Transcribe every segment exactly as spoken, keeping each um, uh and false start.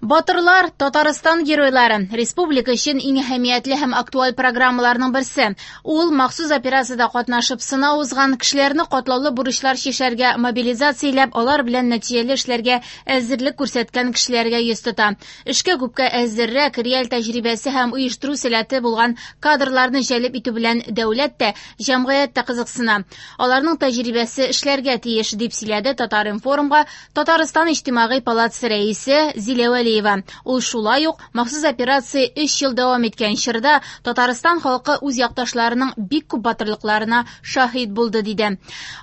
Батырлар – Татарстан геройлары. Республика өчен иң әһәмиятле һәм актуаль программаларның берсе. Ул махсус операциядә катнашып сынау узган кешеләрне катлаулы бурычлар чишәргә мобилизацияләп, алар белән нәтиҗәле эшләргә әзерлек күрсәткән кешеләргә йөз тота. Эшкә күпкә әзеррәк, реаль тәҗрибәсе һәм оештыру сәләте булган кадрларны җәлеп итү белән дәүләт тә, җәмгыять тә кызыксына. Аларның тәҗрибәсе эшләргә тиеш, дип сөйләде Татар-информга Татарстан Иҗтимагый палатасы рәисе Зилә Вәлиева. Ул шулай ук махсус операция өч ел дәвам иткән чорда Татарстан халкы үз якташларының бик күп батырлыкларына шаһит булды, диде.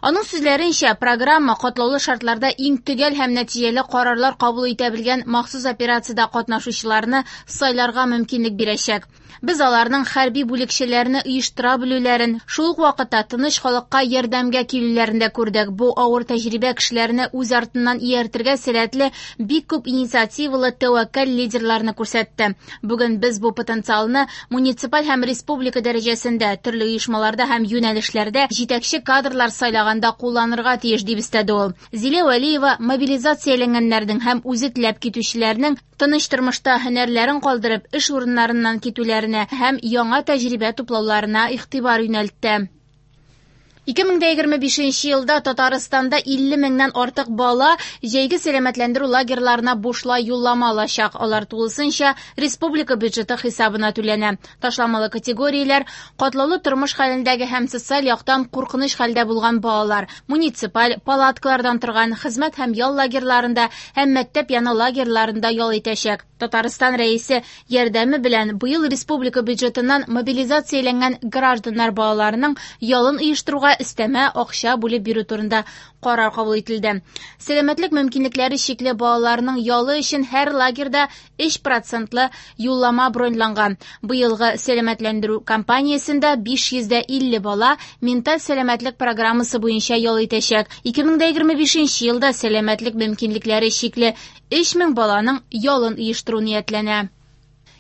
Аның сүзләренчә, программа катлаулы шартларда иң төгәл һәм нәтиҗәле карарлар кабул итә белгән махсус операциядә катнашучыларны сайларга мөмкинлек бирәчәк. Без аларның хәрби бүлекчәләрне оештыра белүләрен, шул ук вакытта тыныч халыкка ярдәмгә килүләрен дә күрдек. Бу авыр тәҗрибә кешеләрне үз артыннан ияртергә сәләтле бик күп инициативалы тәвәккәл лидерларны күрсәтте. Бүген без бу потенциалны муниципаль һәм республика дәрәҗәсендә, төрле оешмаларда һәм юнәлешләрдә җитәкче кадрлар сайлаганда кулланырга тиеш, дип өстәде ул. Зилә Вәлиева мобилизацияләнгәннәрнең һәм үзе теләп китүчеләрнең тыныч тормышта һөнәрләрен калдырып, эш урыннарыннан китүләренә һәм яңа тәҗрибә туплауларына игътибар юнәлтте. ике мең дә егерме бишенче елда Татарстанда илле меңнән артык бала җәйге сәламәтләндерү лагерьларына бушлай юллама алачак. Алар тулысынча республика бюджеты хисабына түләнә. Ташламалы категорияләр катлаулы тормыш хәлендәге һәм социаль яктан куркыныч хәлдә булган балалар, муниципаль палаткалардан торган хезмәт һәм ял лагерьларында һәм мәктәп яны лагерьларында ял итәчәк. Татарстан рәисе ярдәме белән быел республика бюджетыннан мобилизацияләнгән гражданнар балаларының ялын оештыруга өстәмә акча бүлеп бирү турында карар кабул ителде. Сәламәтлек мөмкинлекләре чикле балаларның ялы өчен һәр лагерьда өч процентлы юллама броньланган. Быелгы сәламәтләндерү кампаниясендә биш йөз дә илле бала менталь сәламәтлек программасы буенча ял итәчәк. ике мең дә егерме бишенче елда сәламәтлек мөмкинлекләре чикле өч мең баланың ялын оештыру ниятләнә.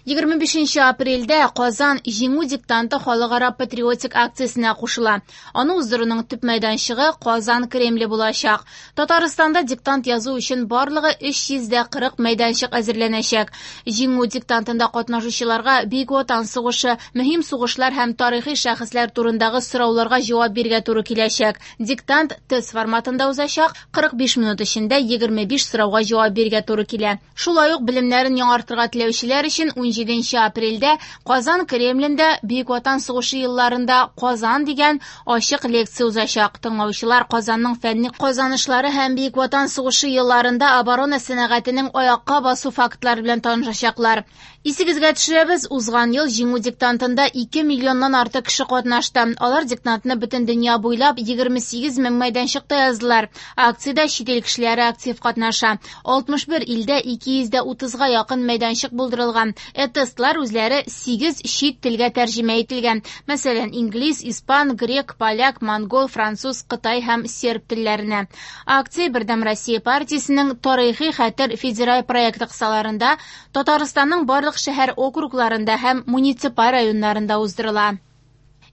Егерме бишенче апрельдә Казан Җиңү диктанты халыкара патриотик акциясенә кушыла. Аны уздыруның төп мәйданчыгы Казан Кремле булачак. Татарстанда диктант язу өчен барлыгы өч йөз дә кырык мәйданчык әзерләнәчәк. Җиңү диктантында катнашучыларга Бөек Ватан сугышы, мөһим сугышлар һәм тарихи шәхесләр турындагы сорауларга җавап бирергә туры киләчәк. Диктант тест форматында узачак, кырык биш минут эчендә егерме биш сорауга җавап бирергә туры килә. Шулай ук белемнәрен яңартырга теләүчеләр өчен ун җиденче апрельдә Казан Кремлендә Бөек Ватан сугышы елларында Казан дигән ачык лекция узачак. Тыңлаучылар Казанның фәнни казанышлары һәм Бөек Ватан сугышы елларында оборона сәнәгатенең аякка басу фактлары белән танышачаклар. Исегезгә төшерәбез, узган ел Җиңү диктантында ике миллионнан артык кеше катнашты. Алар диктантны бөтен дөнья буйлап егерме сигез мең мәйданчыкта яздылар. Акциядә чит ил кешеләре актив катнаша. Алтмыш бер илдә ике йөз дә утызга якын мәйданчык булдырылган. Тестлар үзләре сигез чит телгә тәрҗемә ителгән. Мәсәлән, инглиз, испан, грек, поляк, монгол, француз, кытай һәм серб телләренә. Акция Бердәм Россия партиясенең Тарихи хәтер федераль проекты кысаларында Татарстанның барлык шәһәр округларында һәм муниципаль районнарында уздырыла.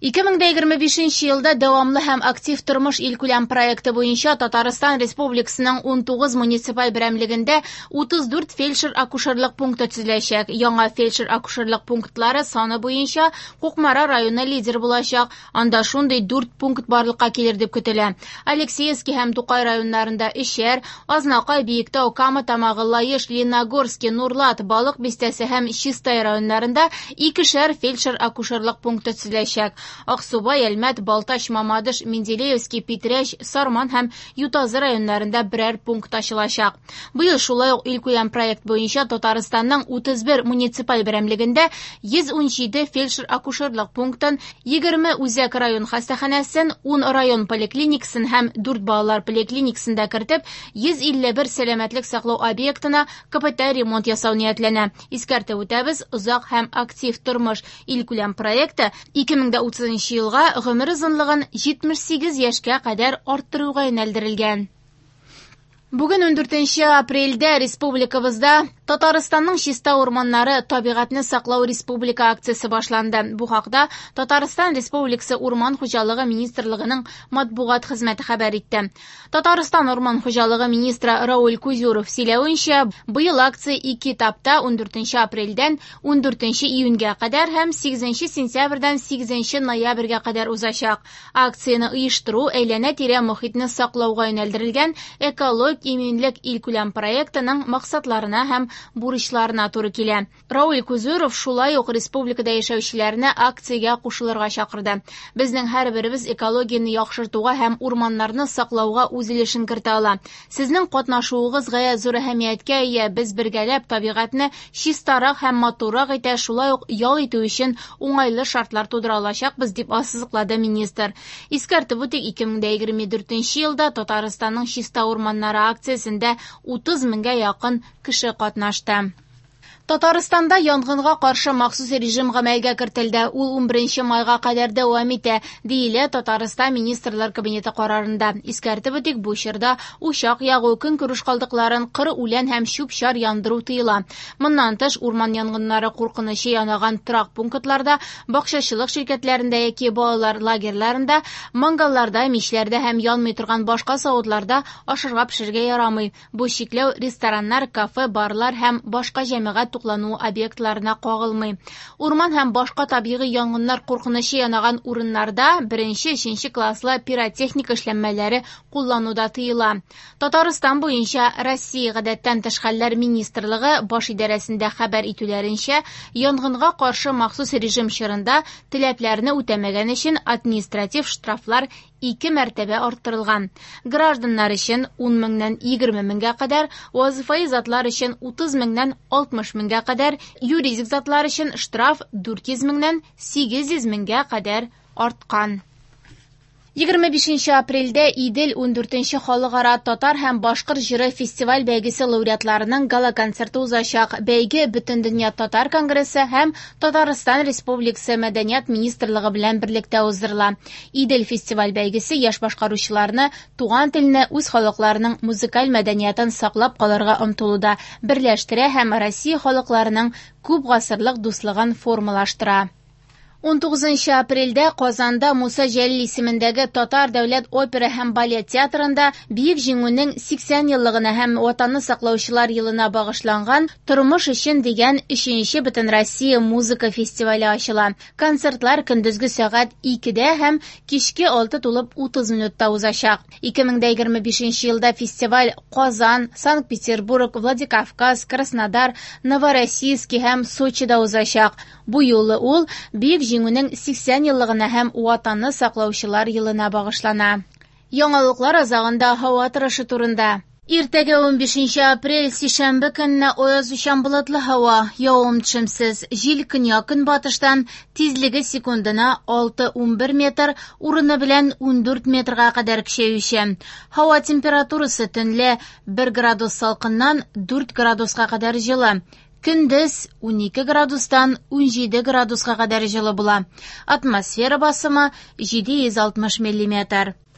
Ике мең дә егерме бишенче елда дәвамлы һәм актив тормыш илкүләм проекты буенча Татарстан Республикасының ун тугыз муниципаль берәмлегендә утыз дүрт фельдшер-акушерлык пункты төзеләчәк. Яңа фельдшер-акушерлык пунктлары саны буенча Кукмара районы лидер булачак. Анда шундый дүрт пункт барлыкка килер дип көтелә. Алексеевский һәм Тукай районнарында өчәр, Азнакай, Биектау, Кама Тамагы, Лаеш, Лениногорский, Нурлат, Балык Бистәсе һәм Чистай районнарында икешәр фельдшер-акушерлык пункты төзеләчәк. Аксубай, Әлмәт, Балтач, Мамадыш, Менделеевский, Питрәч, Сарман һәм Ютазы районнарында берәр пункт ачылачак. Быел шулай ук илкүләм проект буенча Татарстанның утыз бер муниципаль берәмлегендә йөз ун җиде фельдшер-акушерлык пунктын, егерме үзәк район хастаханәсен, ун район поликлиникасын һәм дүрт балалар поликлиникасын да кертеп, йөз илле бер сәламәтлек саклау объектына капиталь ремонт ясау ниятләнә. Искәртеп үтәбез, озак һәм актив тормыш илкүләм проекты ике мең дә утызынчы елга гомер озынлыгын җитмеш сигез яшькә кадәр арттыруга юнәлдерелгән. Бүген ундүртенче апрельдә республикабызда Татарстанның чиста урманнары табигатьне саклау республика акциясе башланды. Бу хакта Татарстан Республикасы Урман хуҗалыгы министрлыгының матбугат хезмәте хәбәр итте. Татарстан Урман хуҗалыгы министры Рауль Кузюров сөйләвенчә, быел акция ике этапта ундүртенче апрельдән ундүртенче июньгә кадәр һәм сигезенче сентябрьдән сигезенче ноябрьгә кадәр узачак. Акцияне оештыру әйләнә-тирә мохитне саклауга юнәлдерелгән экологик иминлек илкүләм проектының максатларына һәм бурычларына туры килә. Рауль Кузюров шулай ук республикада яшәүчеләрне акциягә кушылырга чакырды. Безнең һәрберебез экологияне яхшыртуга һәм урманнарны саклауга үз өлешен кертә ала. Сезнең катнашуыгыз гаять зур әһәмияткә ия. Без бергәләп табигатьне чистарак һәм матуррак итә, шулай ук ял итү өчен уңайлы шартлар тудыра алачакбыз, дип ассызыклады министр. Искәртеп үтик, ике мең дә егерме дүртенче елда Татарстанның чиста урманнары акциясендә утыз меңгә якын кеше катнашты. Татарстанда янгынга каршы махсус режим гамәлгә кертелде. Ул унберенче майга кадәр дәвам итә, диелә Татарстан Министрлар Кабинеты карарында. Искәртеп үтик, бу чорда учак ягу, көнкүреш калдыкларын, кыр үлән һәм чүп-чар яндыру тыела. Моннан тыш, урман янгыннары куркынычы янаган торак пунктларда, бакчачылык ширкәтләрендә яки балалар лагерьларында, мангалларда, мичләрдә һәм янмый торган башка савытларда ашарга пешерергә ярамый. Бу чикләү рестораннар, кафе, барлар һәм башка җәмәгать туклану объектларына кагылмый. Урман һәм башка табигый янгыннар куркынычы янаган урыннарда беренче, өченче класслы пиротехника эшләнмәләре куллануда тыела. Татарстан буенча Россия гадәттән тыш хәлләр министрлыгы баш идарәсендә хәбәр итүләренчә, янгынга каршы махсус режим чорында таләпләрне үтәмәгән өчен административ штрафлар ике мәртәбә арттырылган. Гражданнар өчен ун меңнән егерме меңгә кадәр, вазифаи затлар өчен утыз меңнән алтмыш меңгә кадәр, юридик затлар өчен штраф дүрт йөз меңнән сигез йөз меңгә кадәр арткан. Егерме бишенче апрельдә Идел ундүртенче халыкара татар һәм башкорт җыры фестиваль бәйгесе лауреатларының гала-концерты узачак. Бәйге Бөтендөнья татар конгрессы һәм Татарстан Республикасы Мәдәният министрлыгы белән берлектә уздырыла. Идел фестиваль бәйгесе яшь башкаручыларны туган телне, үз халыкларының музыкаль мәдәниятын саклап калырга омтылуда берләштерә һәм Россия халыкларының күп гасырлык дуслыгын формалаштыра. Унтугызынчы апрельдә Казанда Муса Җәлил исемендәге Татар дәүләт опера һәм балет театрында Бөек Җиңүнең сиксән еллыгына һәм Ватанны саклаучылар елына багышланган Тормыш өчен дигән өченче Бөтенроссия музыка фестивале ачыла. Концертлар көндезге сәгать икедә һәм кичке алты тулып утыз минутта узачак. Ике мең дә егерме бишенче елда фестиваль Казан, Санкт-Петербург, Владикавказ, Краснодар, Новороссийский һәм Сочида узачак. Бу юлы ул Бөек Җиңүнең сиксән еллыгына һәм Ватанны саклаучылар елына багышлана. Яңалыклар азагында һава торышы турында. Иртәгә унбишенче апрель сишәмбе көнне аязучан болытлы һава, явым-төшемсез, җил көньяк-көнбатыштан, тизлеге секундына алты унбер метр, урыны белән ундүрт метрга кадәр көчәюче. Һава температурасы төнлә бер градус салкыннан дүрт градуска кадәр җылы. Көндез унике градустан унҗиде градуска кадәр җылы була. Атмосфера басымы җиде йөз алтмыш миллиметр.